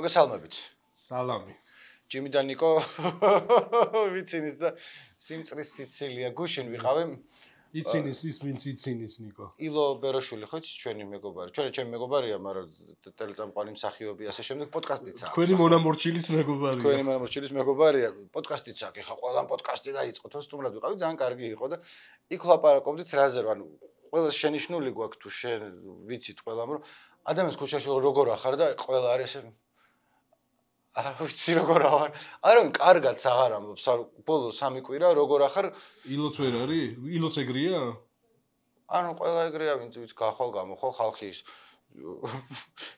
მოგესალმებით. სალამი. ჯიმი და ნიკო ვიცინის და სიმწრის სიცილია გუშინ ვიყავი. იცინის ის ვინც იცინის ნიკო. ილო ბეროშვილი ხო იცი ჩვენი მეგობარი. ჩემი მეგობარია, მაგრამ ტელეწამყვანი მსახიობი ასე შემდეგ პოდკასტიც აქვს. თქვენი მონამორჩილის მეგობარია. თქვენი მონამორჩილის მეგობარია. პოდკასტიც აქვს. ხა ყველამ პოდკასტი დაიწყო. თორე სტუმრად ვიყავი, ძალიან კარგი იყო და იქ ვლაპარაკობდით რაზე, ანუ ყველა შენიშვნული გვაქვს თუ შენ ვიცით ყველამ რომ ადამიანს ქუჩაში როგორ ახარ და ყველა არის ესე არ ვიცი როგორ ვარ. არავინ კარგად აღარ ამბობს. ბოლო 3 კვირა როგორ ახარ? ილოც ვერ არის? ილოც ეგრეა? ანუ ყველა ეგრეა, ვინც გახვალ გამოხვალ ხალხი ის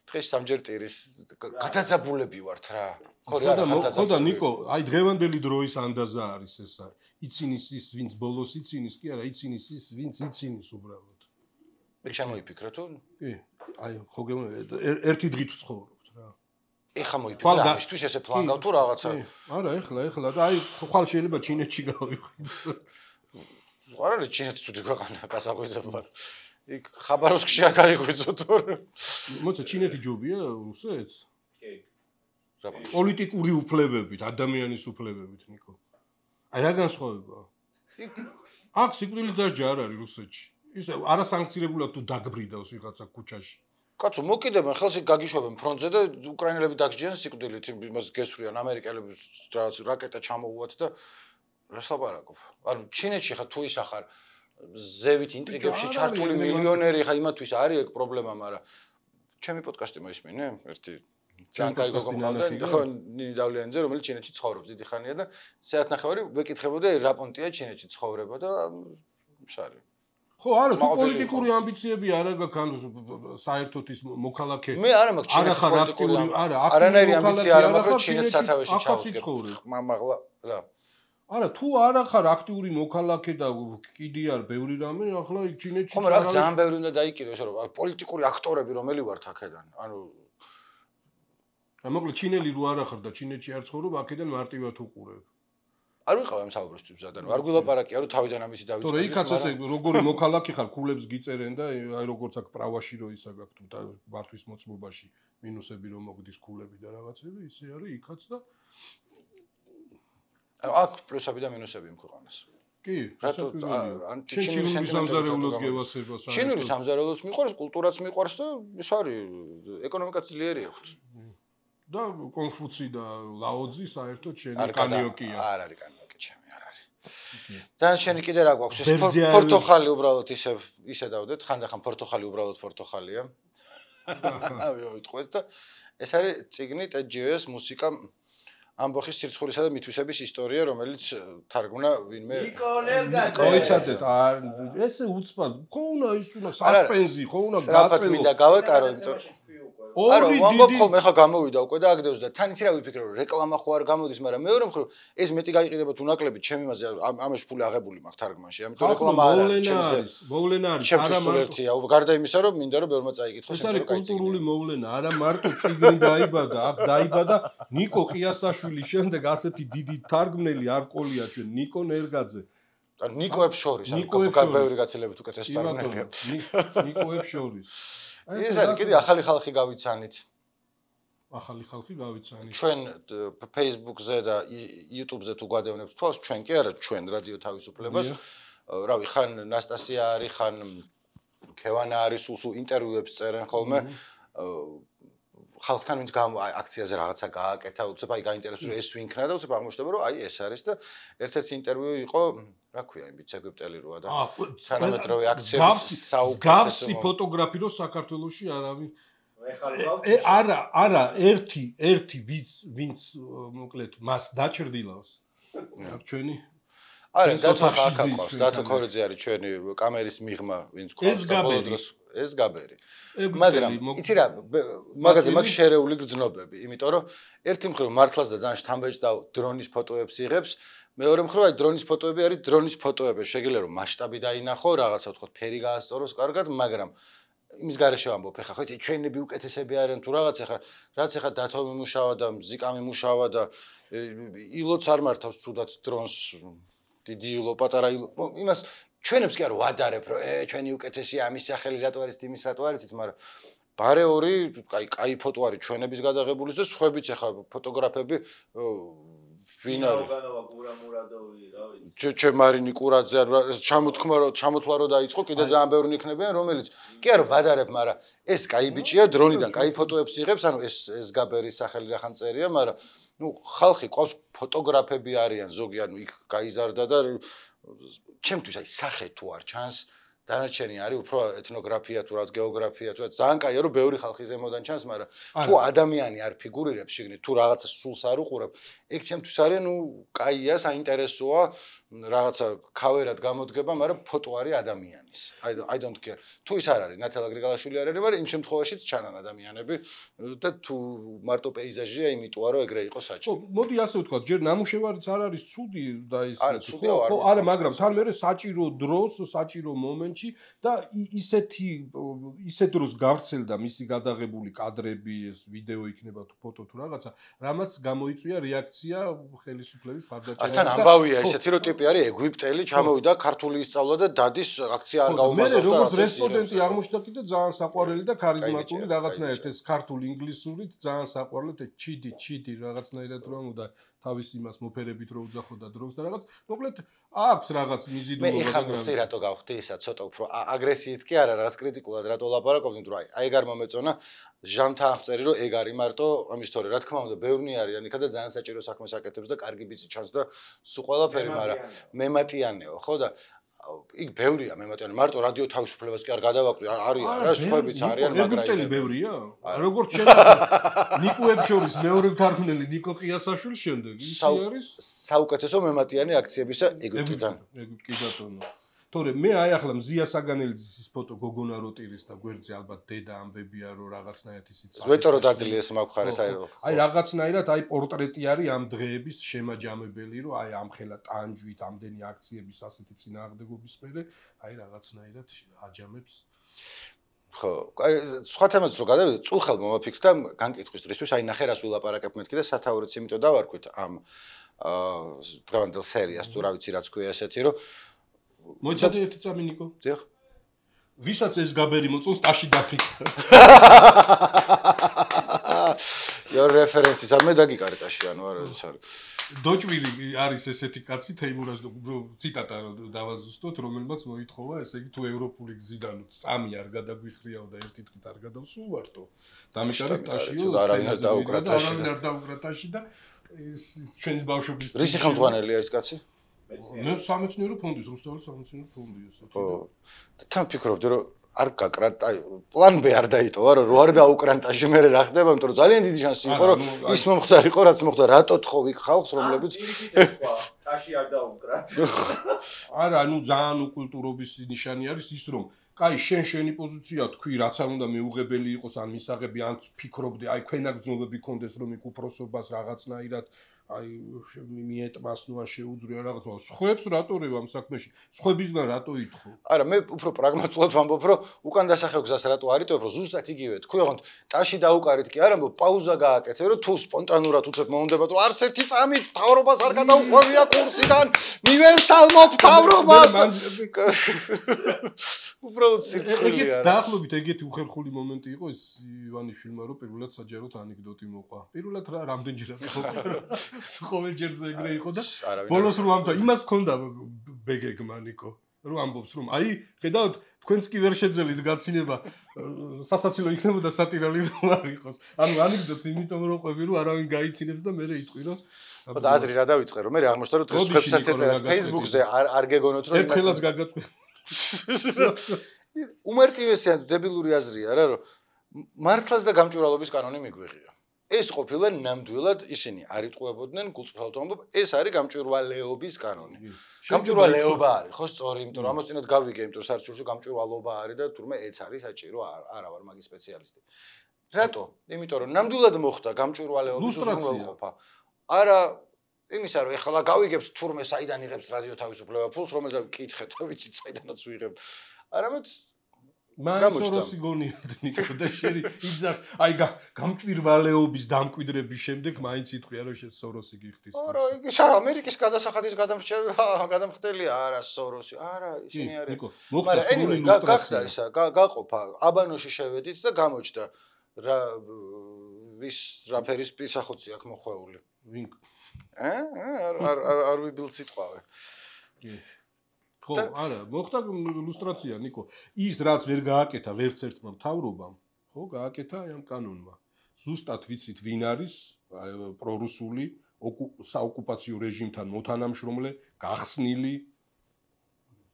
დღეს სამჯერ ტირის გადაძაბულები ვართ რა. ხო რა ხარ დაძაბულები. ხო და ნიკო, აი დღევანდელი დროის ანდაზა არის ესა. იცინის ის ვინც ბოლოს იცინის, კი არა, იცინის ის ვინც იცინის უბრალოდ. მე შემოიფიქრე თუ? კი. აი ხო ერთი დღით ვცხოვრობთ რა. ეხა მოიფიქრე ამისთვის ესე ფლანგავ თუ რაღაცა. არა, ეხლა და აი ხვალ შეიძლება ჩინეთში გავიხვიდო. არ არის ჩინეთის უთი ქვეყანა გასაღვიძებლად. იქ ხაბაროვსკში არ გაიღვიძო თორე. მოიცა ჩინეთი ჯობია რუსეთს? კი. პოლიტიკური უფლებებით, ადამიანის უფლებებით ნიკო. აი რა განსხვავებაა? აქ სიკვდილის დასჯა არ არის რუსეთში. ისე არასანქცირებულად თუ დაგბრიდავს ვიღაცა ქუჩაში. კაცო მოკიდებენ ხელში გაგიშვებენ ფრონტზე და უკრაინელები დაგჯიან სიკვდილით იმას გესვრიან ამერიკელებს რაღაც რაკეტა ჩამოუვათ და რას ლაპარაკობ. ანუ ჩინეთში ხა თუ ის ახარ ზევით ინტრიგებში ჩართული მილიონერი ხა იმათვის არის ეგ პრობლემა, მაგრამ ჩემი პოდკასტი მოისმინე ერთი ძალიან კაი გოგო მყავდა ხო ნინი დავლიანიძე რომელიც ჩინეთში ცხოვრობს დიდი ხანია და საათნახევარი ვეკითხებოდა რა პონტია ჩინეთში ცხოვრება და შარი ხო არა თუ პოლიტიკური ამბიციები არ აქვს ან საერთოდ ის მოქალაქე მე არა მაქვს ჩინეთის პოლიტიკური არანაირი ამბიცია არ მაქვს რომ ჩინეთს სათავეში ჩავდგებ მაღლა რა არა თუ არ ახარ აქტიური მოქალაქე და კიდე არ ბევრი რამე ახლა იქ ჩინეთში ხომ რა ძალიან ბევრი უნდა დაიკიდოს რომ პოლიტიკური აქტორები რომელი ვართ აქედან ანუ მოკლედ ჩინელი რო არ ახარ და ჩინეთში არ ცხოვრობ აქედან მარტივად უყურებ არ ვიყავ ამ საუბრისთვის ზადან არ გულაპარაკია რომ თავიდან ამისი დავიწყე თორე იქაც ესე როგორი მოქალაქე ხარ ქულებს გიწერენ და აი როგორც აქ პრავაში რო ისა გაქვთ და მართვის მოწმობაში მინუსები რომ მოგდის ქულები და რაღაცები ისე არის იქაც და აქ პლუსები და მინუსები იმ ქვეყანას კი რატო ჩინური სამზარეულოს გევასება ჩინური სამზარეულოს მიყვარს კულტურაც მიყვარს და ის არის ეკონომიკაც ძლიერი აქვს და კონფუცი და ლაოძი საერთოდ შენი კანიოკია. არ არის კანიოკი ჩემი, არ არის. დანარჩენი კიდე რა გვაქვს? ეს პორტოხალი უბრალოდ ისე დავდეთ, ხანდახან პორტოხალი უბრალოდ პორტოხალია. ვიტყვეთ და ეს არის ციგნი ტეჯიოს მუსიკა ამბოხის სირცხულისა და მითვისების ისტორია, რომელიც თარგმნა ვინმე მოიცადეთ ესე უცბად. ხო უნდა ის უნდა სასპენსი, ხო უნდა გაწელო. სწრაფად მინდა გავატარო, იმიტომ არა, ვამბობ ხოლმე ხა გამოვიდა უკვე და აგდევს და თან იცი რა ვიფიქრე რომ რეკლამა ხო არ გამოდის, მაგრამ მეორე მხრივ ეს მეტი გაიყიდებათ უნაკლებით ჩემი მასე ამაში ფული აღებული მაქვს თარგმანში, ამიტომ რეკლამა არ არის, მოვლენა არის, არა მარტო გარდა იმისა რომ მინდა რომ ბევრმა წაიკითხოს, ეს არის კულტურული მოვლენა, არა მარტო ციგნი დაიბადა, აქ დაიბადა ნიკო ყიასაშვილის შემდეგ ასეთი დიდი თარგმნელი არ ყოლია ჩვენ ნიკო ნერგაძე. ანუ ნიკოებს შორის, ანუ ბევრი გაცილებით უკეთეს თარგმნელია. ნიკოებს შორის. ეს არის კიდე ახალი ხალხი გავიცანით. ახალი ხალხი გავიცანით. ჩვენ Facebook-ზე და YouTube-ზე თუ გვადევნებთ თვალს, ჩვენ კი არა, ჩვენ რადიო თავისუფლებას. რავი, ხან ნასტასია არის, ხან ქევანა არის, სულ ინტერვიუებს წერენ ხოლმე. ხალხთან ვინც აქციაზე რაღაცა გააკეთა, უცებ აი გაინტერესებს რომ ეს ვინქნა და უცებ აღმოჩნდება რომ აი ეს არის და ერთ-ერთი ინტერვიუ იყო, რა ქვია, იმ ბიჭ ეგვიპტელი როა და თანამედროვე აქციების საუკეთესო გავსი ფოტოგრაფი რო საქართველოში არავინ არა ერთი ვინც მოკლედ მას დაჭრდილავს აქ ჩვენი არა დათო ხაკაყავს დათო ქორიძე არის ჩვენი კამერის მიღმა ვინც ყავს ბოლო დროს ეს გაბერი მაგრამ იცი რა მაგაზე მაქვს შერეული გრძნობები იმიტომ რომ ერთი მხრივ მართლაც და ძალიან შთამბეჭდა დრონის ფოტოებს იღებს მეორე მხრივ აი დრონის ფოტოები არის დრონის ფოტოები შეგიძლია რომ მასშტაბი დაინახო რაღაცა ვთქვათ ფერი გაასწოროს კარგად მაგრამ იმის გარეშე ვამბობ ეხა ხო იცი ჩვენები უკეთესები არიან თუ რაღაც ეხა რაც ეხა დათო მიმუშავა და მზიკა მიმუშავა და ილოც არ მართავს ცუდად დრონს დიდი ილო პატარა ილო იმას ჩვენებს კი არ ვადარებ რომ ჩვენი უკეთესია ამის სახელი რატო არის იმის რატო არიცით მაგრამ ბარეორი, კაი ფოტო არის ჩვენების გადაღებული და სხვაებიც ახლა ფოტოგრაფები ვინ არის? ჩემარინი კურაძე ჩამოთქმა რომ დაიწყო, კიდე ძალიან ბევრი იქნებიან, რომელიც კი არა ვადარებ, მაგრამ ეს კაი ბიჭია, დრონიდან კაი ფოტოებს იღებს, ანუ ეს გაბერის სახელი რახან წერია, მაგრამ ხალხი ყავს ფოტოგრაფები არიან ზოგი, ანუ იქ გაიზარდა და ჩემთვის აი სახე თუ არ ჩანს დანარჩენი არის უფრო ეთნოგრაფია თუ რაც გეოგრაფია თუ ძალიან კაია რომ ბევრი ხალხი ზემოდან ჩანს, მაგრამ თუ ადამიანი არ ფიგურირებს შიგნით, თუ რაღაცა სულს არ უყურებ, ეგ ჩემთვის არის კაია, საინტერესოა, რაღაცა ქავერად გამოდგება, მაგრამ ფოტო არის ადამიანის. I don't care. თუ ის არ არის, ნათალა გრიგალაშვილი არ არის, მაგრამ იმ შემთხვევაშიც ჩანან ადამიანები და თუ მარტო პეიზაჟია, იმიტომ რომ ეგრე იყო საჭირო. მოდი ასე ვთქვათ, ჯერ ნამუშევარიც არ არის ცუდი და ის ხო, არა, მაგრამ თან მერე საჭირო დროს, საჭირო მომენტში და ისეთ დროს გავრცელდა მისი გადაღებული კადრები, ეს ვიდეო იქნება თუ ფოტო თუ რაღაცა, რამაც გამოიწვია რეაქცია ხელისუფლების მხარდაჭერა. თან ამბავია ესეთი რომ ტიპი არის ეგვიპტელი, ჩამოვიდა ქართული ისწავლა და დადის აქცია არ გაუმაზავს და როგორც რესპონდენტი აღმოჩნდა კიდე ძალიან საყვარელი და ქარიზმატული რაღაცნაირად ეს ქართული ინგლისურით ძალიან საყვარელი ჩიდი რაღაცნაირად რომ უნდა თავის იმას მოფერებით რო უძახოდა დროს და რაღაც მოკლედ აქვს რაღაც მიზიდულობა და მე ხარ რატო გავხდი ისა ცოტა უფრო აგრესიით კი არა რაღაც კრიტიკულად რატო ლაპარაკობდი თუ აი ეგ არ მომეწონა ჟანთან აღწერი რომ ეგ არის მარტო ამის თორე რა თქმა უნდა ბევრნი არიან იქა და ძალიან საჭირო საქმეს აკეთებს და კარგი ბიცი ჩანს და სულ ყველაფერი მაგრამ მემატიანეო ხო და იქ ბევრია მემატიანე მარტო რადიო თავისუფლებას კი არ გადავაკვდი არიან რა სხვაებიც არიან მაგრამ ეგვიპტელი ბევრია როგორც შეიძლება ნიკოებს შორის მეორე მთარგმნელი ნიკო ყიასაშვილის შემდეგ ის არის საუკეთესო მემატიანე აქციებისა ეგვიპტიდან კი ბატონო თორე მე აი ახლა მზია საგანელიძის ის ფოტო გოგონა როტირის და გვერდზე ალბათ დედა ამბებია რომ რაღაცნაირად ისიც ვეტო რომ დაძლიეს მაგხარეს აი რაღაცნაირად აი პორტრეტი არის ამ დღეების შემაჯამებელი რომ აი ამ ხელა ტანჯვით ამდენი აქციების ასეთი წინააღმდეგობის მერე აი რაღაცნაირად აჯამებს ხო აი სხვა თემას რო გადავიდეთ წულხელ მომაფიქრდა განკითხვის დრისთვის აი ნახე რას ვილაპარაკებ მეთქი და სათაურიც იმიტომ დავარქვით ამ დღევანდელ სერიას თუ რა ვიცი რაც ქვია ესეთი რომ მოიცადე ერთი წამი ნიკო. დიახ. ვისაც ეს გაბერი მოწონს, ტაში დაფიქრა. Your references არ მე დაგიკარე ტაში ანუ არ არის. დოჭვილი არის ესეთი კაცი თეიმურას ციტატა დავაზუსტოთ, რომელმაც მოითხოვა, ესე იგი თუ ევროპული გზიდან წამი არ გადაგვიხრიაო და ერთი დღით არ გადავსულვართო. დამიტანე ტაშიო. არავინ არ დაუკრა ტაში. არავინ არ დაუკრა ტაში და ეს ჩვენს ბავშვობის რისი ხელმძღვანელია ეს კაცი? მე სამეცნიერო ფონდის რუსთავის სამეცნიერო ფონდი ესე. ხო. თან ფიქრობდი რომ არ გაკრა პლან B არ დაიტოვა რომ არ დაუკრანტაში მე რა ხდება, იმიტომ რომ ძალიან დიდი შანსი იყო რომ ის მომხდარ იყო რაც მოხდა, რატო თხოვ იქ ხალხს რომლებიც ტაში არ დაუკრათ. არა, ანუ ძალიან უკულტურობის ნიშანი არის ის რომ კაი შენი პოზიცია თქვი რაც არ უნდა მეუღებელი იყოს ან მისაღები ან ფიქრობდი აი ქვენაგრძნობები კონდეს რომ იქ უფროსობას რაღაცნაირად აი მიეტმას ნუ არ შეუძრია რაღაცა სხვებს რატო რევა ამ საქმეში სხვებისგან რატო ითხოვ არა მე უფრო პრაგმატულად ვამბობ რომ უკან დასახევ გზას რატო არიტოებ რომ ზუსტად იგივე თქვი ოღონდ ტაში დაუკარით კი არა ამბობ პაუზა გააკეთე რომ თუ სპონტანურად უცებ მომუნდებათ რომ არც ერთი წამი თავრობას არ გადაუყვევია კურსიდან მივესალმობ თავრობას უბრალოდ სირცხვილია დაახლოებით ეგეთი უხერხული მომენტი იყო ეს ივანიშვილმა რომ პირველად საჯაროდ ანეკდოტი მოყვა პირველად რამდენჯერად ხო ყოველჯერზე ეგრე იყო და ბოლოს რომ ამთა იმას ჰქონდა ბეგეგმა ნიკო რომ ამბობს რომ აი ხედავთ თქვენც კი ვერ შეძელით გაცინება სასაცილო იქნებოდა სატირალი რომ არ იყოს ანუ ანეკდოტს იმიტომ რომ ყვები რომ არავინ გაიცინებს და მე იტყვი რომ და აზრი რა დავიწყე რომ მე აღმოჩნდა რომ დღეს ხებსაც ეწერათ Facebook-ზე არ გეგონოთ რომ ერთ ხელას გაგაწყვი უმარტივესია დებილური აზრია რა რომ მართლაც და გამჭვირვალობის კანონი მიგვიღია ეს ყოფილა ნამდვილად ისინი არ იტყუებოდნენ გულწრფელად ამბობ ეს არის გამჭვირვალეობის კანონი გამჭვირვალეობა არის ხო სწორი იმიტომ რომ ამოსწინოთ გავიგე იმიტომ რომ საერთაშორისო გამჭვირვალეობა არის და თურმე ეც არის საჭირო არა ვარ მაგის სპეციალისტი რატო იმიტომ რომ ნამდვილად მოხდა გამჭვირვალეობის უზრუნველყოფა არა იმისა რომ ეხლა გავიგებთ თურმე საიდან იღებს რადიო თავისუფლება ფულს რომელსაც ვკითხეთ ვიცით საიდანაც ვიღებ არამედ მან სოროსი გონიოდ ნიკო და შერი იძახ აი გამჭვირვალეობის დამკვიდრების შემდეგ მაინც იტყვია რომ შენ სოროსი გიხდის არა იგი ამერიკის გადასახადის გადამხდელია არა სოროსი არა ისინი არიან მაგრამ anyway გახდა ისა გაყოფა აბანოში შევედით და გამოჩნდა რა ვის რაფერის პისახოცი აქვს მოხვეული ვინ არ ვიბილ სიტყვავე ხო, არა, მოხდა ილუსტრაცია, ნიკო. ის რაც ვერ გააკეთა ვერც ერთმა მთავრობამ, ხო, გააკეთა ამ კანონმა. ზუსტად ვიცით ვინ არის პრორუსული საოკუპაციო რეჟიმთან მოთანამშრომლე, გახსნილი,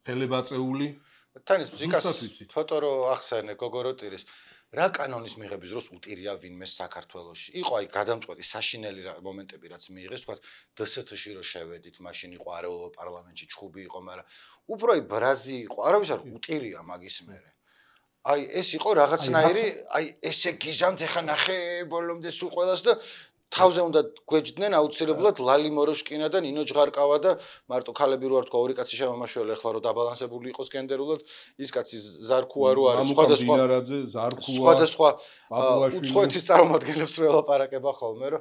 ხელებაწეული. თან ის მუსიკას ფოტო რო ახსენე გოგოროტირის რა კანონის მიღების დროს უტირია ვინმე საქართველოში. იყო აი გადამწყვეტი საშინელი მომენტები რაც მიიღეს, თქვა დსთ-ში რო შევედით, მაშინ იყო არეულობა პარლამენტში ჩხუბი იყო, მაგრამ უფრო აი ბრაზი იყო, არავის არ უტირია მაგის მერე. აი ეს იყო რაღაცნაირი, აი ესე გიჟამთ ახლა ნახე ბოლომდე სულ ყველას და თავზე უნდა გვეჯდნენ აუცილებლად ლალი მოროშკინა და ნინო ჟღარკავა და მარტო ქალები რო არ თქვა ორი კაცი შემომაშველი ახლა რო დაბალანსებული იყოს გენდერულად ის კაცი ზარქუა რო არის სხვადასხვა უცხოეთის წარმომადგენლებს რო ელაპარაკება ხოლმე რომ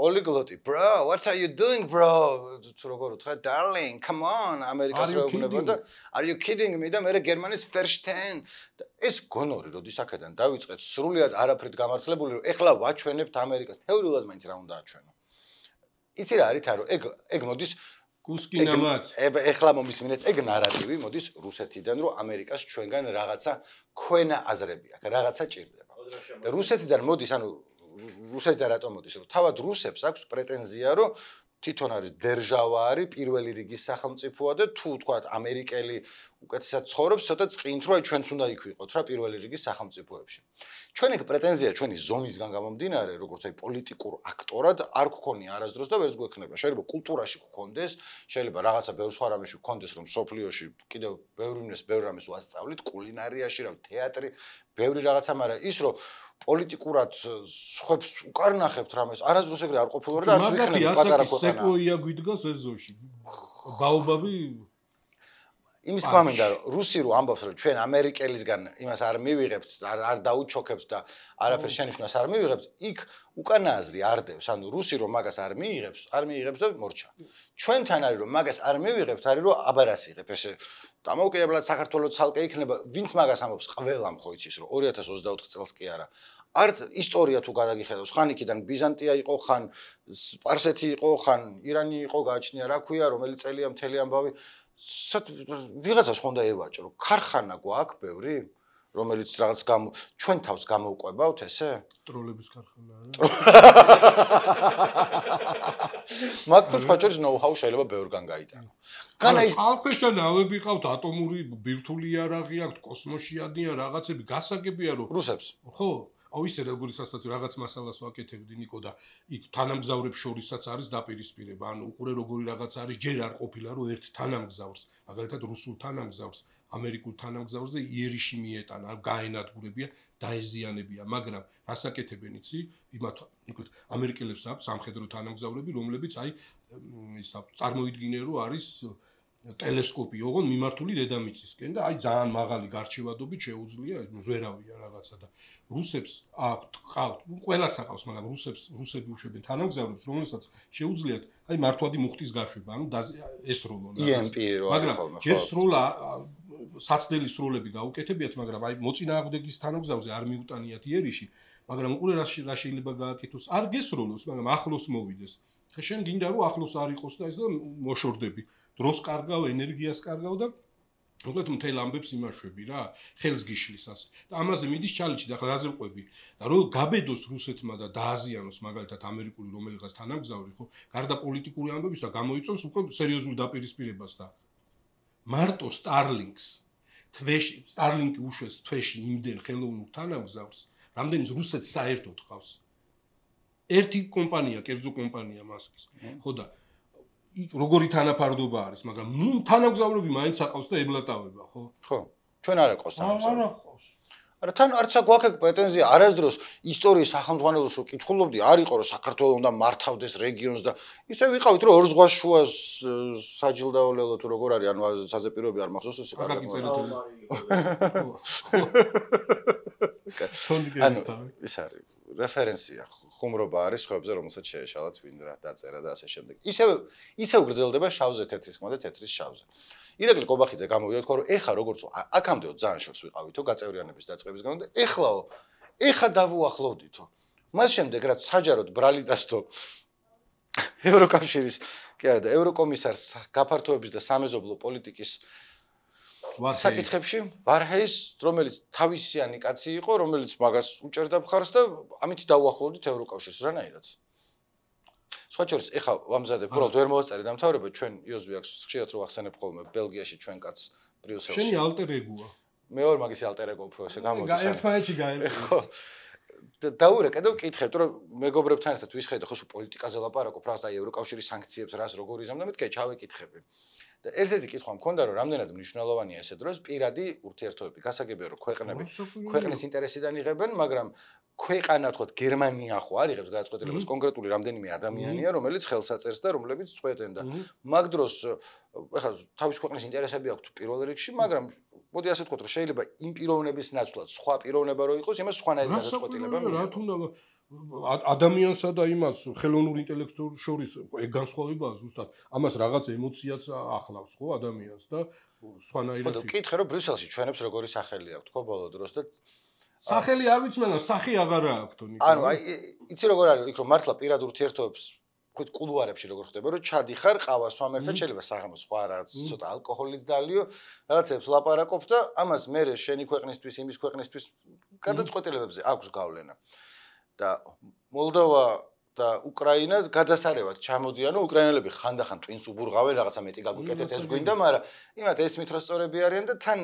პოლიგლოტი bro what are you doing bro თუ როგორ უთხრა darling come on ამერიკას რო ეუბნება და are you kidding me და მე გერმანიის first-hand ეს გონორი როდის აქედან დავიწყეთ სრულიად არაფრით გამართლებული რომ ეხლა ვაჩვენებთ ამერიკას თეორიულად მაინც რა უნდა აჩვენო იცი რა არის რომ ეგ მოდის კუსკინამაც ეხლა მომისმინეთ ეგ ნარატივი მოდის რუსეთიდან რომ ამერიკას ჩვენგან რაღაცა ქვენა აზრები აქვს რაღაცა ჭირდება და რუსეთიდან მოდის ანუ რუსეთიდან რატომ მოდის რომ თავად რუსებს აქვს პრეტენზია რომ თვითონ არის დერჟავა არის პირველი რიგის სახელმწიფოა და თუ თქვათ ამერიკელი უკეთესად ცხოვრობს ცოტა წყინთ რომ ჩვენც უნდა იქ ვიყოთ რა პირველი რიგის სახელმწიფოებში ჩვენ ეგ პრეტენზია ჩვენი ზომისგან გამომდინარე როგორც აი პოლიტიკურ აქტორად არ გქონია არასდროს და ვერც გვექნება შეიძლება კულტურაში გქონდეს შეიძლება რაღაცა ბევრ სხვა რამეში გქონდეს რომ სოფლიოში კიდევ ბევრ რამეს ვასწავლით კულინარიაში რა თეატრი ბევრი რაღაცა მაგრამ ის რომ პოლიტიკურად ხებს უკარნახებთ რამეს არასდროს ეგრე არ ყოფილიო და არც ვიქნები პატარა ქვეყანა სეკვოია გვიდგას ეზოში ბაობაბი იმის გვამინდა რომ რუსი რო ამბობს რომ ჩვენ ამერიკელისგან იმას არ მივიღებთ არ დაუჩოქებთ და არაფერ შენიშვნას არ მივიღებთ იქ უკანაზრი არ დევს ანუ რუსი რომ მაგას არ მიიღებს და მორჩა ჩვენთან არის რომ მაგას არ მივიღებთ არის რომ აბარას იღებ ესე დამოუკიდებლად საქართველოს ცალკე იქნება ვინც მაგას ამბობს ყველამ ხო იცის რომ 2024 წელს კი არა არც ისტორია თუ გადაგიხედავს ხან იქიდან ბიზანტია იყო ხან სპარსეთი იყო ხან ირანი იყო გააჩნია რა ქვია რომელი წელია მთელი ამბავი ვიღაცას ხონდა ევაჭრო ქარხანა გვაქვს ბევრი რომელიც რაღაც ჩვენ თავს გამოვყვებავთ ესე ტროლების ქარხანა მაგ ხოჭოს ნოუ-ჰაუ შეიძლება ბევრგან გაიტანო განა ის ალქვეშა ნავები ყავთ ატომური ბირთვული იარაღი აქვს კოსმოსში ადიან რაღაცები გასაგებია რომ რუსებს ხო აუ ისე როგორი სასაცილო რაღაც მასალას ვაკეთებდი ნიკო და იქ თანამგზავრებს შორისაც არის დაპირისპირება ანუ უყურე როგორი რაღაც არის ჯერ არ ყოფილა რომ ერთ თანამგზავრს მაგალითად რუსულ თანამგზავრს ამერიკულ თანამგზავრზე იერიში მიეტანა გაენადგურებია დაეზიანებია მაგრამ რას აკეთებენ იცი იმათ იქით ამერიკელებს აქვს სამხედრო თანამგზავრები რომლებიც აი ის წარმოიდგინე რომ არის ტელესკოპი ოღონ მიმართული დედამიწისკენ და აი ძალიან მაღალი გარჩევადობით შეუძლია ზვერავია რაღაცა და რუსებს აქვთ ყავთ ყველას აყავს მაგრამ რუსები უშვებენ თანამგზავრებს რომელსაც შეუძლიათ აი მართვადი მუხტის გაშვება ანუ ესროლონ მაგრამ ეს სროლა საცდელი სროლები გაუკეთებიათ მაგრამ აი მოწინააღმდეგის თანამგზავრზე არ მიუტანიათ იერიში მაგრამ უყურე რა შეიძლება გააკეთოს არ გესროლოს მაგრამ ახლოს მოვიდეს ხე შენ გინდა რომ ახლოს არ იყოს და ეს და მოშორდები დროს კარგავ ენერგიას კარგავ და მოკლედ მთელ ამბებს იმაშვები რა ხელს გიშლის ასე და ამაზე მიდის ჩალიჩი და ახლა რაზე ვყვები და რომ გაბედოს რუსეთმა და დააზიანოს მაგალითად ამერიკული რომელიღაც თანამგზავრი ხო გარდა პოლიტიკური ამბების და გამოიწვევს უკვე სერიოზულ დაპირისპირებას და მარტო სტარლინკი უშვეს თვეში იმდენ ხელოვნურ თანამგზავრს რამდენიც რუსეთს საერთოდ ყავს ერთი კომპანია კერძო კომპანია მასკის ხო და როგორი თანაფარდობა არის, მაგრამ ნუ თანამგზავრები მაინც აყავს და ებლატავება, ხო? ხო. ჩვენ არ აყავს თანამგზავრები. არ აყავს. არა თან არც აგვაქვს პრეტენზია არასდროს ისტორიის სახელმძღვანელოს რო კითხულობდი არ იყო რომ საქართველოს უნდა მართავდეს რეგიონს და ისე ვიყავით რომ ორ ზღვას შუა საჯილდაოლელო თუ როგორ არის ანუ საზეპიროები არ მახსოვს ეს კარგად ეს არის რეფერენსია ხუმრობა არის ხოებზე რომელსაც შეეშალათ ვინ რა დაწერა და ასე შემდეგ ისევ გრძელდება შავზე თეთრის ხმა და თეთრის შავზე ირაკლი კობახიძე გამოვიდა თქვა რომ ეხა როგორც აქამდეო ძალიან შორს ვიყავითო გაწევრიანების დაწყების გამო და ეხა დავუახლოვდითო მას შემდეგ რაც საჯაროდ ბრალიდასთო ევროკავშირის კი არა და ევროკომისარს გაფართოების და სამეზობლო პოლიტიკის საკითხებში ვარჰეის რომელიც თავისიანი კაცი იყო რომელიც მაგას უჭერდა მხარს და ამით დავუახლოვდით ევროკავშირს რანაირად სხვა შორის ეხა ვამზადებ უბრალოდ ვერ მოვაწერე დამთავრება ჩვენ იოზვი აქვს ხშირად რო ახსენებ ხოლმე ბელგიაში ჩვენ კაც ბრიუსელში შენი ალტერ ეგოა მე ვარ მაგის ალტერ ეგო უფრო ესე გამოდის ერთმანეთში გაემყო ხო დაურე კიდევ ვკითხებთ რომ მეგობრებთან ერთად ვისხედე ხო პოლიტიკაზე ლაპარაკობ რა და ევროკავშირის სანქციებს რას როგორ იზამდა მეთქე ჩავეკითხები და ერთ-ერთი კითხვა მქონდა რომ რამდენად მნიშვნელოვანია ესე დროს პირადი ურთიერთობები გასაგებია რომ ქვეყნის ინტერესიდან იღებენ მაგრამ ქვეყანა თქო გერმანია ხო არ იღებს გადაწყვეტილებას კონკრეტული რამდენიმე ადამიანია რომელიც ხელს აწერს და რომლებიც წყვეტენ და მაგ დროს ეხლა თავის ქვეყნის ინტერესები აქვს პირველ რიგში მაგრამ მოდი ასე ვთქვათ რომ შეიძლება იმ პიროვნების ნაცვლად სხვა პიროვნება რო იყოს იმას სხვანაირი გადაწყვეტილება რა თუნდა ადამიანსა და იმას ხელოვნურ ინტელექტს შორის ეგ განსხვავებაა ზუსტად ამას რაღაც ემოციაც ახლავს ხო ადამიანს და სხვანაირად ხო კითხე რომ ბრიუსელში ჩვენებს როგორი სახელი აქვს თქო ბოლო დროს და სახელი არ ვიცი მაგრამ სახი აღარა აქვს თონი ანუ აი იცი როგორ არის იქ რომ მართლა პირად ურთიერთობებს ვთქვით კულუარებში როგორ ხდება რომ ჩადიხარ ყავას სვამერთან შეიძლება საღამოს სხვა რაღაც ცოტა ალკოჰოლიც დალიო რაღაცებს ლაპარაკობ და ამას მე შენი ქვეყნისთვის იმის ქვეყნისთვის გადაწყვეტილებებზე აქვს გავლენა და მოლდოვა და უკრაინა გადასარევად ჩამოდიანო უკრაინელები ხანდახან ტვინს უბურღავენ რაღაცა მეტი გაგვიკეთეთ ეს გვინდა მაგრამ იმათ ესმით რომ სწორები არიან და თან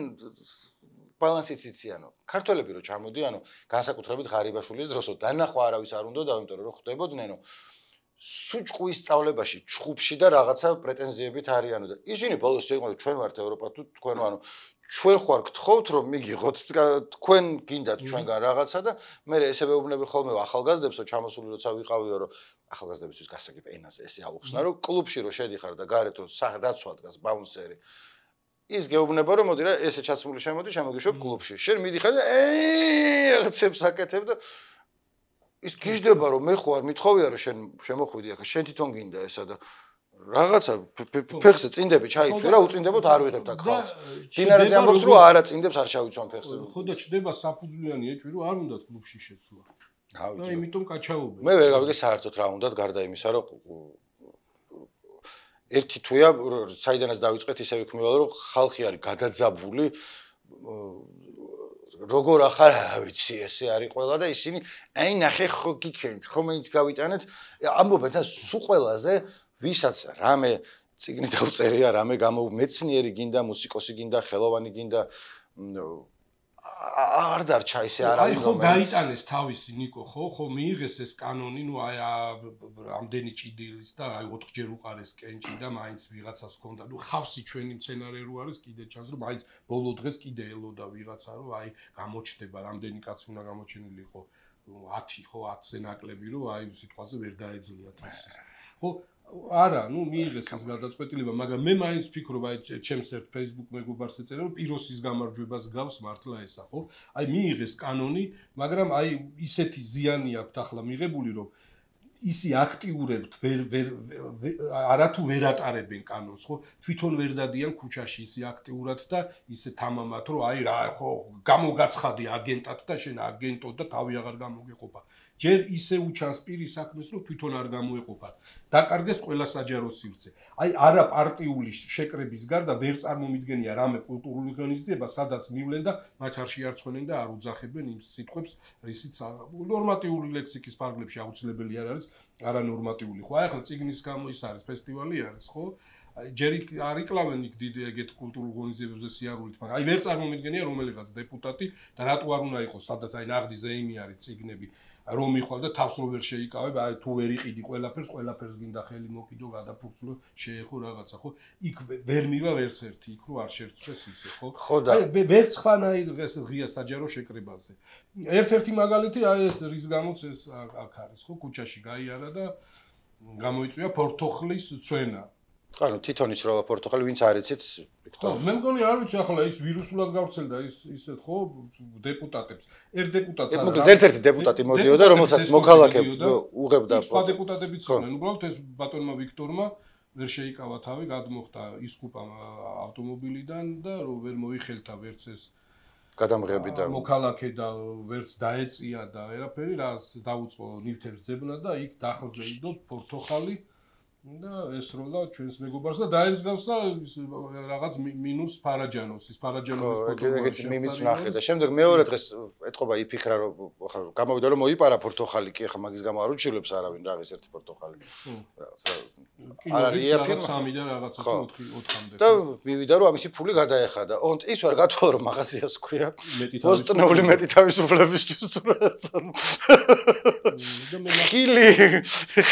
ბალანსიც იციანო ქართველები რო ჩამოდიანო განსაკუთრებით ღარიბაშვილის დროსო დანახვა არავის არ უნდა იმიტომ რომ ხვდებოდნენ სუჭყვის სწავლებაში ჩხუბში და რაღაცა პრეტენზიებით არიანო და ისინი ბოლოს შეიყვნენ ჩვენ ვართ ევროპა თუ თქვენ ანუ ჩვენ ხوار გთხოვთ რომ მიგიღოთ თქვენ გინდათ ჩვენგან რაღაცა და მე ესე ვეუბნები ხოლმე ახალგაზრდებსო ჩამოსული როცა ვიყავიო რომ ახალგაზრდებისთვის გასაგებ ენაზე ესე აუხსნა რომ კლუბში რო შედიხარ და გარეთ რო დაცვა დგას ბაუნსერი ის გეუბნება რომ მოდი რა ესე ჩაცმული შემოდი შემოგიშვებ კლუბში შენ მიდიხარ და რაღაცებს აკეთებ და ის გიждდება რომ მე ხო არ მithოვია რომ შენ შემოხვიდი ახლა შენ თვითონ გინდა ესა და რაღაცა ფეხზე წინდები ჩაიცვი რა უწინდებოდ არ ვიღებთ აქ ხალხს დინარაძე ამბობს რომ არა წინდებს არ ჩავიცვან ფეხზე ხო და ჩდება საფუძვლიანი ეჭვი რომ არ უნდა კლუბში შეცვლა და იმიტომ კაჩაობენ მე ვერ გავიგე საერთოდ რა უნდათ გარდა იმისა რომ ერთი თვეა საიდანაც დავიწყეთ ისე ვიქმნილა რომ ხალხი არის გადაძაბული როგორ ახარ ვიცი ესე არის ყველა და ისინი აი ნახე ხო გიქენთ ხომ ის გავიტანეთ ამბობენ და სულ ყველაზე ვისაც რამე წიგნი დავწერია რამე გამომეცნიერი გინდა მუსიკოსი გინდა ხელოვანი გინდა არ დარჩა ისე არ არის ხო გაიტანეს თავისი ნიკო ხო მიიღეს ეს კანონი ნუ აი ამდენი ჭიდილის და აი 4 ჯერ უყარეს კენჭი და მაინც ვიღაცას ჰქონდა ნუ ხავსი ჩვენი მცენარე რო არის კიდე ჩანს რომ მაინც ბოლო დღეს კიდე ელოდა ვიღაცა რომ აი გამოჩდება რამდენი კაცი უნდა გამოჩენილი იყო 10 ხო 10-ზე ნაკლები რომ აი სიტყვაზე ვერ დაეძლიათ ეს ხო არა, ნუ მიიღეს ეს გადაწყვეტილება, მაგრამ მე მაინც ვფიქრობ, აი ჩემს ერთ Facebook მეგობარს ეწერა, რომ პიროსის გამარჯვებას გავს მართლა ესა, ხო? აი მიიღეს კანონი, მაგრამ აი ისეთი ზიანი აქვს ახლა მიღებული, რომ ისი აქტიურებთ არათუ ვერ ატარებენ კანონს, ხო? თვითონ ვერ დადიან ქუჩაში ისი აქტიურად და ისე თამამად, რომ აი რა, ხო, გამოგაცხადი აგენტად და შენ აგენტო და თავი აღარ გამოგეყოფა. ჯერ ისე უჩანს პირის საქმეს, რომ თვითონ არ გამოეყოფა. დაკარგეს ყველა საჯარო სივრცე. აი არა პარტიული შეკრების გარდა ვერ წარმომიდგენია რამე კულტურული ღონისძიება, სადაც მივლენ და მათ არ შეარცხვენენ და არ უძახებენ იმ სიტყვებს, რისიც ნორმატიული ლექსიკის ფარგლებში აუცილებელი არ არის, არანორმატიული. ხო, აი ახლა წიგნის გამო ის არის ფესტივალი არის, ხო? ჯერ არ იკლავენ იქ დიდ ეგეთ კულტურულ ღონისძიებებზე სიარულით, მაგრამ აი ვერ წარმომიდგენია რომელიღაც დეპუტატი და რატო არ უნდა იყოს, სადაც აი ნაღდი ზეიმი არის წიგნები. რომ მიხვალ და თავს რო ვერ შეიკავებ, აი თუ ვერ იყიდი ყველაფერს გინდა ხელი მოკიდო, გადაფურცლო, შეეხო რაღაცა, ხო? იქ ვერ მივა ვერც ერთი, იქ რო არ შერწეს ისე, ხო? აი ვერც ხანაირ ეს ღია საჯარო შეკრებაზე. ერთ-ერთი მაგალითი აი ეს რის გამოც ეს აქ არის, ხო? ქუჩაში გაიარა და გამოიწვია ფორთოხლის წვენა. ანუ თვითონის რა პორტუგალი ვინც არ იცით ხო მე მგონი არ ვიცი ახლა ის ვირუსულად გავრცელდა ისეთ ხო დეპუტატებს ერთ დეპუტატს არა მოკლედ ერთ-ერთი დეპუტატი მოდიოდა რომელსაც მოქალაქეებს უღებდა სხვა დეპუტატებიც იყვნენ უბრალოდ ეს ბატონმა ვიქტორმა ვერ შეიკავა თავი გადმოხდა ისკუპა ავტომობილიდან და რომ ვერ მოიხელთა ვერც ეს გადამღები და მოქალაქე და ვერც დაეწია და ვერაფერი რაც დაუწყო ნივთებს ძებნა და იქ დახლზე იდო პორტოხალი და ესროლა ჩვენს მეგობარს და დაემსგავსა რაღაც მინუს ფარაჯანოს ის ფარაჯანოვის ეგეც მიმიც ნახე და შემდეგ მეორე დღეს ეთყობა იფიქრა რომ ხა გამოვიდა რომ მოიპარა პორტოხალი კი ხა მაგის გამო არ უჩილებს არავინ რაღაც ერთი პორტოხალი არ არის იაფი 3 და რაღაცა 4-მდე და მივიდა რომ ამისი ფული გადაეხადა ოღონდ ის ვერ გათვალა რომ მაღაზიას ქვია პოსტნეული მეტი თავისუფლებისთვის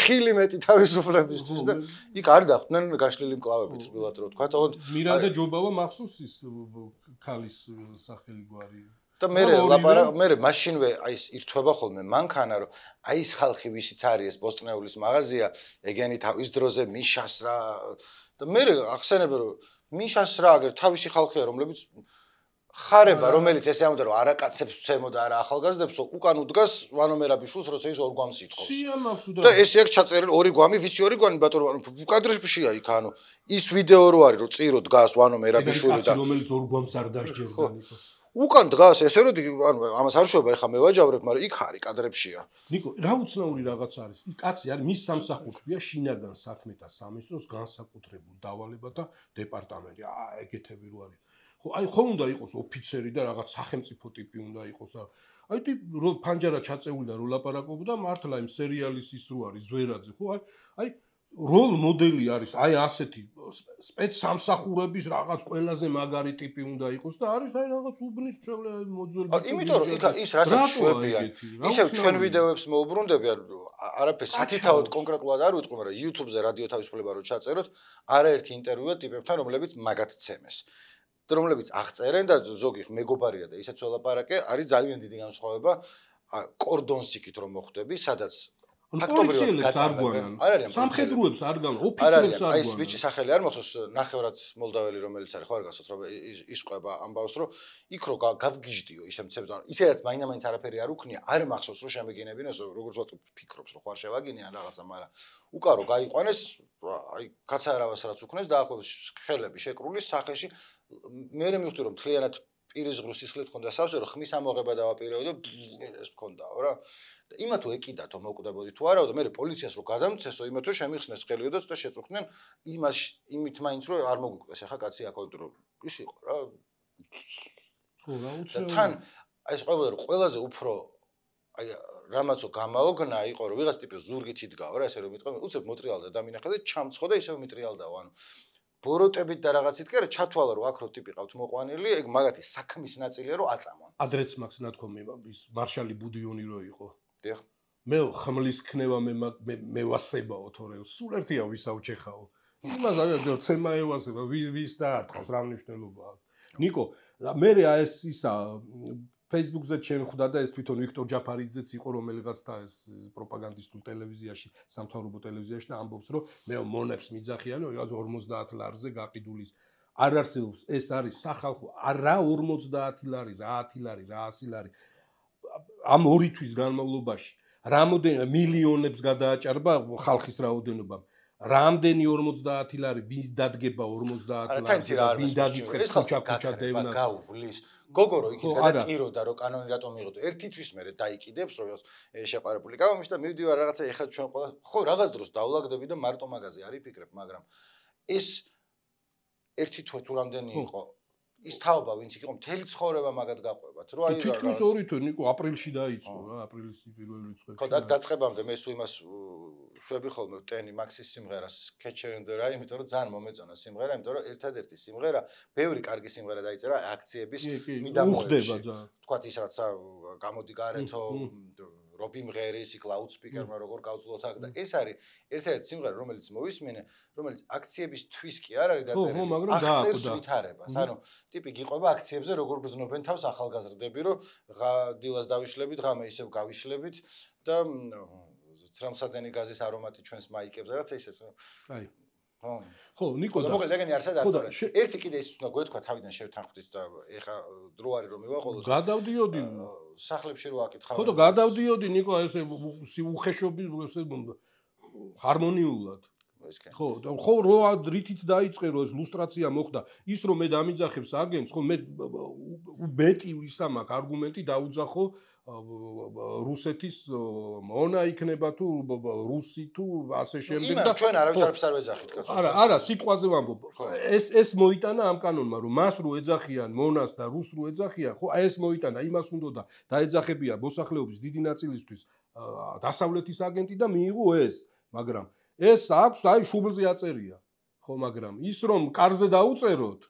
ხილი მეტი თავისუფლებისთვის და იქ არ დახვდნენ გაშლილი მკლავებით რბილად რო თქვა თქო მირანდა ჯობავა მახსოვს ის ქალის სახელი გვარი და მე მაშინვე აი ეს ირთვება ხოლმე მანქანა რომ აი ეს ხალხი ვისიც არის ეს პოსტნეულის მაღაზია ეგენი თავის დროზე მიშას რა და მე ახსენებ რომ მიშას რა აგერ თავისი ხალხია რომლებიც ხარება რომელიც ესე ამოდა რომ არაკაცებს ვცემოდა არა ახალგაზრდებს უკან უდგას ვანო მერაბიშვილს როცა ის ორ გვამს ითხოვს და ესე აქ ჩაწერილი ორი გვამი ვიცი ორი გვამი ბატონო კადრებშია იქ ანუ ის ვიდეო რო არის რომ წირო დგას ვანო მერაბიშვილი და რომელიც ორ გვამს არ დასჯერდა ნიკო უკან დგას ესე რომ ანუ ამას არ შევება ეხა მე ვაჯავრებ მაგრამ იქ არის კადრებშია ნიკო რა უცნაური რაღაც არის ის კაცი არის მის სამსახურშია შინაგან საქმეთა სამინისტროს განსაკუთრებული დავალება და დეპარტამენტი ეგეთები რო არის ხო აი ხომ უნდა იყოს ოფიცერი და რაღაც სახელმწიფო ტიპი უნდა იყოს და აი რო ფანჯარა ჩაწეული და რო ლაპარაკობდა მართლა იმ სერიალის ის რო არის ზვერაძე ხო აი როლ მოდელი არის აი ასეთი სპეცსამსახურების რაღაც ყველაზე მაგარი ტიპი უნდა იყოს და არის აი რაღაც უბნის წველი მოძველი იმიტომ რომ იქ ის რასაც შვებია ისევ ჩვენ ვიდეოებს მოუბრუნდები არაფერს სათითაოდ კონკრეტულად არ ვიტყვი მაგრამ YouTube-ზე რადიო თავისუფლება რო ჩაწეროთ არაერთი ინტერვიუა ტიპებთან რომლებიც მაგათ ცემეს და რომლებიც აღწერენ და ზოგი მეგობარია და ისეც ველაპარაკე არის ძალიან დიდი განსხვავება კორდონსიკით რომ მოხვდები სადაც ფაქტობრივად გაწარმოებენ არ არის სამხედროებს არ გან ოფიცერებს არ აი ეს ბიჭი სახელი არ მახსოვს ნახევრად მოლდაველი რომელიც არის ხო არ გასოთ რომ ის ყვება ამბავს რომ იქ რო გავგიჟდიო ისე მცემს ისედაც მაინც არაფერი არ უქნია არ მახსოვს რომ შემეგინებინოს როგორც ვთქვი ფიქრობს რომ ხარ შევაგინიან რაღაცა მაგრამ უკა რო გაიყვანეს აი კაცარავას რაც უქნეს დაახლოებით ხელები შეკრული სახეში მე მივხვდი რომ თლიანად პირის ღრუს სისხლით ხონდა სავსე რომ ხმის ამოღება დავაპირებდი და ეს მქონდაო რა და იმათო ეკიდათო მოკვდებოდი თუ არაო და მე პოლიციას რო გადამცესო იმათო შემიხსნეს ხელიო და ცოტა შეწუხდნენ იმით მაინც რომ არ მოგვიკვეს ახლა კაცი აკონტრო რომ ის იყო რა ხო რა უცნაური თან აი ეს ყვებოდა რომ ყველაზე უფრო აი რამაცო გამაოგნა იყო რომ ვიღაც ტიპი ზურგით იდგაო რა ესე რომ მიტყვა უცებ მოტრიალდა და მინახე და ჩამცხო და ისევ მიტრიალდაო ანუ ბოროტებით და რაღაცით კი არა ჩათვალა რომ აქ რო ტიპი ყავთ მოყვანილი ეგ მაგათი საქმის ნაწილია რომ აწამონ ადრეც მაქვს ნათქვამი ის მარშალი ბუდიონი რო იყო დიახ მე ხმლის ქნება მე ვასებაო თორე სულ ერთია ვისაუჩეხაო იმას აღარ ცემა ევასება ვის დაარტყავს რა მნიშვნელობა აქვს ნიკო მე ეს ისა Facebook-ზე შეხვდა და ეს თვითონ ვიქტორ ჯაფარიძეც იყო რომელიღაც და ეს პროპაგანდისტულ ტელევიზიაში სამთავრობო ტელევიზიაში და ამბობს რომ მე მონებს მიძახიანო 50 ლარზე გაყიდულის არ არსებობს ეს არის სახალხო არა 50 ლარი რა 10 ლარი რა 100 ლარი ამ 2 თვის განმავლობაში რამოდენ მილიონებს გადააჭარბა ხალხის რაოდენობა რამდენი 50 ლარი ვის დადგება 50 ლარი ვის დაგიწყებს ქუჩა დევნა გაუვლის გოგო რო იქით გადაწიროდა რომ კანონი რატომ მიიღო ერთი თვის მერე დაიკიდებს რომ შეყარებული კავამში და მივდივარ რაღაცა ეხლა ჩვენ ყველა ხო რაღაც დროს დავლაგდები და მარტო მაგაზე არ იფიქრებ მაგრამ ეს ერთი თვე თუ რამდენი იყო ის თაობა ვინც იყო მთელი ცხოვრება მაგად გაყვებათ რომ აი თითქმის 2 თვე ნიკო აპრილში დაიწყო რა აპრილის პირველი რიცხვი ხო და დაწყებამდე მე სულ იმას შვები ხოლმე ტენი მაქსის სიმღერას Catcher in the Rye იმიტომ რომ ძალიან მომეწონა სიმღერა იმიტომ რომ ერთადერთი სიმღერა ბევრი კარგი სიმღერა დაიწერა აქციების მიდამოებში თქვათ ის რაც გამოდი გარეთო რობი მღერის, იქ ლაუდსპიკერმა როგორ გავძლოთ აქ და ეს არის ერთ-ერთი სიმღერა, რომელიც მოვისმინე, რომელიც აქციებისთვის კი არ არის დაწერილი, აღწერს ვითარებას. ანუ ტიპი გიყვება აქციებზე როგორ გრძნობენ თავს ახალგაზრდები, რომ დილას დავიშლებით, ღამე ისევ გავიშლებით და ცრემლსადენი გაზის არომატი ჩვენს მაიკებს რაც ისეც. აი ხო, ნიკო და მოკლედ ეგენი არსად აწორე. ერთი კიდე ის უნდა გვეთქვა თავიდან შევთანხმდით და ეხა დრო არის რომ მივაყოლოთ. გადავდიოდი სახლებში რო აკითხავ. ხო და გადავდიოდი ნიკო ესე უხეშობის ესე ჰარმონიულად. ხო, ხო რო რითიც დაიწყე რომ ეს ლუსტრაცია მოხდა, ის რომ მე დამიძახებს აგენტს, ხო მე მეტი ისა მაქვს არგუმენტი დაუძახო რუსეთის მონა იქნება თუ რუსი თუ ასე შემდეგ და ჩვენ არავის არ ვეძახით კაცო. არა, სიტყვაზე ვამბობ. ეს მოიტანა ამ კანონმა, რომ მას რო ეძახიან მონას და რუს რო ეძახიან, ხო, ეს მოიტანა, იმას უნდა და დაეძახებია მოსახლეობის დიდი ნაწილისთვის დასავლეთის აგენტი და მიიღო ეს, მაგრამ ეს აქვს, აი შუბლზე აწერია. ხო, მაგრამ ის რომ კარზე დაუწეროთ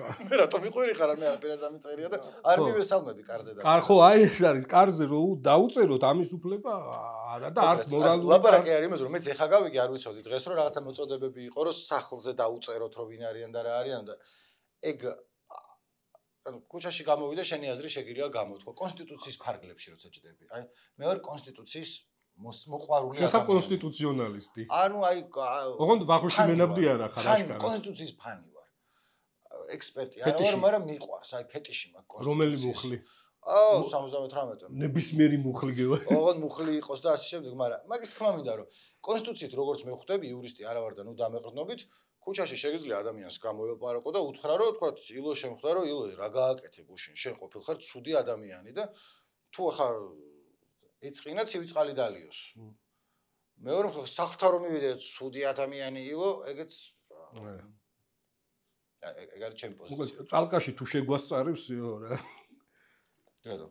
მე რატომ იყვირი ხარ მე არაფერ დამიწერია და არ მივესალმები კარზე დაწერა. ხო, აი ეს არის კარზე რო დაუწეროთ ამის უფლება არა და არც მორალური. ლაპარაკი არის იმაზე რომ მეც ეხა გავიგე არ ვიცოდი დღეს რომ რაღაცა მოწოდებები იყო რომ სახლზე დაუწეროთ რომ ვინ არიან და რა არიან და ეგ ანუ ქუჩაში გამოვიდა შენი აზრი შეგიძლია გამოთქვა კონსტიტუციის ფარგლებში როცა ჭდები. აი მე ვარ კონსტიტუციის მოყვარული ადამიანი. ხა კონსტიტუციონალისტი. ანუ აი ოღონდ ვახუში მენაბდი არა ხარ აშკარა. კონსტიტუციის ფანი ვარ. ექსპერტი არა ვარ, მაგრამ მიყვარს, აი ფეტიში მაქვს კონსტიტუციის. რომელი მუხლი? 78-ე. ნებისმიერი მუხლი გევა. ოღონდ მუხლი იყოს და ასე შემდეგ, მაგრამ მაგის თქმა მინდა რომ კონსტიტუციით როგორც მე ხვდები, იურისტი არა ვარ და ნუ დამეყრდნობით, ქუჩაში შეგიძლია ადამიანს გამოელაპარაკო და უთხრა რომ თქვა ილო შემხვდა რომ ილო რა გააკეთე გუშინ, შენ ყოფილ ხარ ცუდი ადამიანი და თუ ახლა ეწყინა ცივი წყალი დალიოს. მეორე სახთა რომ მივიდე ცუდი ადამიანი ილო, ეგეც ეგ არის ჩემი პოზიცია. წალკაში თუ შეგვასწარებს რა. რატო?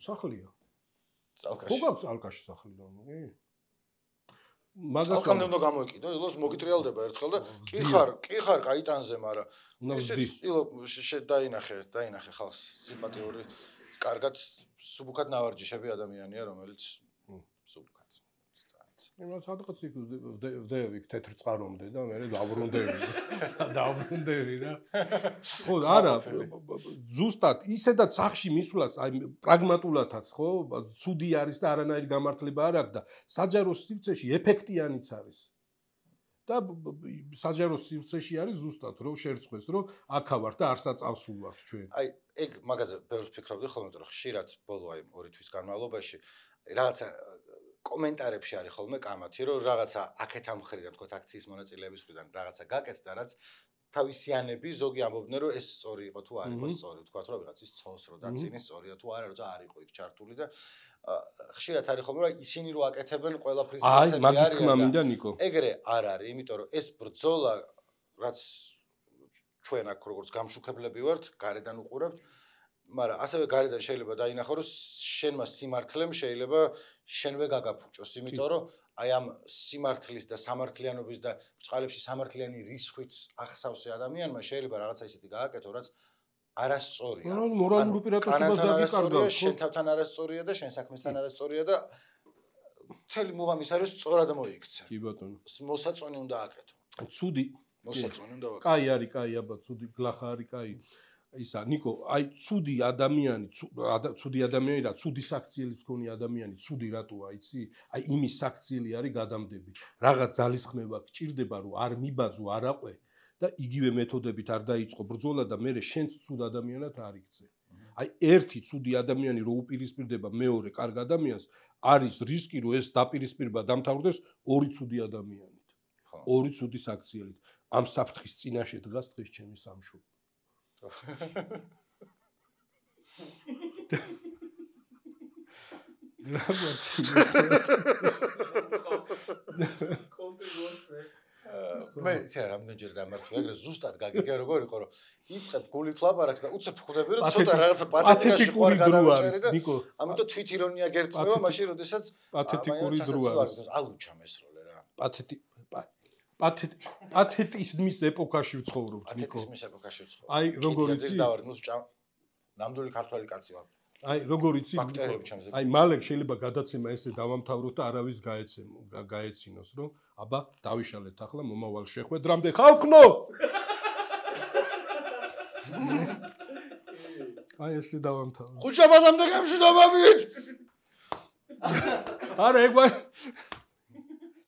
სახლია. წალკაში. ხო გაქვს წალკაში სახლი რა, კი? მაგას კამდე უნდა გამოიკიდო, ილოს მოგიტრიალდება ერთხელ და კი ხარ კაიტანზე, მაგრამ ისიც ილო დაინახე ხალხს სიმპათიური, კარგად სუბუქად ნავარჯიშები ადამიანია, რომელიც სუბუქად. იმას სადღაც იქ ვდევი თეთრ წყარომდე და მე დავრუნდები რა. ხო, არა, ზუსტად ისედაც სახში მისვლას, აი პრაგმატულადაც, ხო, ცუდი არის და არანაირი გამართლება არ აქვს და საჯარო სივრცეში ეფექტიანიც არის. და საჯარო სივრცეში არის ზუსტად რომ შერწყვეს, რომ აქა ვარ და არ საწავსულ ვარ ჩვენ. აი, ეგ მაგაზე ბევრს ფიქრობდი ხოლმე, რომ ხშირად ბოლო აი 2 თვის განმავლობაში რაღაცა კომენტარებში არის ხოლმე კამათი, რომ რაღაცა აქეთ ამ მხრიდან თქო აქციის მონაწილეების მხრიდან რაღაცა გაკეთდა, რაც თავისიანები ზოგი ამბობდნენ, რომ ეს სწორი იყო თუ არ იყო სწორი, თქვა რომ ვიღაცის ცოლს რო დაცინის სწორია თუ არა, როცა არ იყო იქ ჩართული და ხშირად არის ხოლმე რომ ისინი რო აკეთებენ ყველაფრის ესები არის. აი, მაგის თქმა მინდა ნიკო. ეგრე არ არის, იმიტომ რომ ეს ბრძოლა რაც ჩვენ აქ როგორც გამშუქებლები ვართ, გარედან უყურებთ, მაგრამ ასევე გარედან შეიძლება დაინახო რომ შენმა სიმართლემ შეიძლება შენვე გაგაფუჭოს, იმიტომ რომ აი ამ სიმართლის და სამართლიანობის და ბრწყალებში სამართლიანი რისხვით ახსავსე ადამიანმა შეიძლება რაღაცა ისეთი გააკეთო, რაც არასწორია. მორალური პირატვებაც დაგიკარგავს, შენ თავთან არასწორია და შენ საქმესთან არასწორია და მთელი მუღამის არის სწორად მოიქცე. კი ბატონო. მოსაწონი უნდა აკეთო. ცუდი. მოსაწონი უნდა აკეთო. კაი არის, კაი აბა, ცუდი გლახა არის, კაი. ისა ნიკო, აი ცუდი ადამიანი და ცუდი საქციელის მქონე ადამიანი, ცუდი რატოა, იცი? აი იმის საქციელი არის გადამდები. რაღაც ძალისხმევა გჭირდება, რომ არ მიბაძო, არ აყვე და იგივე მეთოდებით არ დაიწყო ბრძოლა და მე შენც ცუდ ადამიანად არ იქცე. აი ერთი ცუდი ადამიანი რო უპირისპირდება მეორე კარგ ადამიანს, არის რისკი, რომ ეს დაპირისპირება დამთავრდეს ორი ცუდი ადამიანით. ორი ცუდი საქციელით. ამ საფრთხის წინაშე დგას დღეს ჩემი სამშობლო. მე ცერა რამდენჯერ დამართვი ეგრე ზუსტად გაგიგე როგორ იყო რომ იწებ გულით ლაპარაკს და უცებ ხვდები რომ ცოტა რაღაცა პათეტიკაში ხوار გადავიჭერი და ამიტომ თვით ირონია გერწმევა მაშინ როდესაც პათეტიკური დროა ალუჩა მესროლე რა პათეტიზმის ეპოქაში ვცხოვრობთ, ნიკო. პათეტიზმის ეპოქაში ვცხოვრობ. აი, როგორ იცი? ნამდვილი ქართველი კაცი ვარ. აი როგორ იცი აი მალე შეიძლება გადაცემა ესე დავამთავროთ და არავის გაეცინოს რომ აბა დავიშალეთ ახლა მომავალ შეხვედრამდე ხალხო აი ესე დავამთავროთ ხუჭაბადამდე გამშვიდობებით არა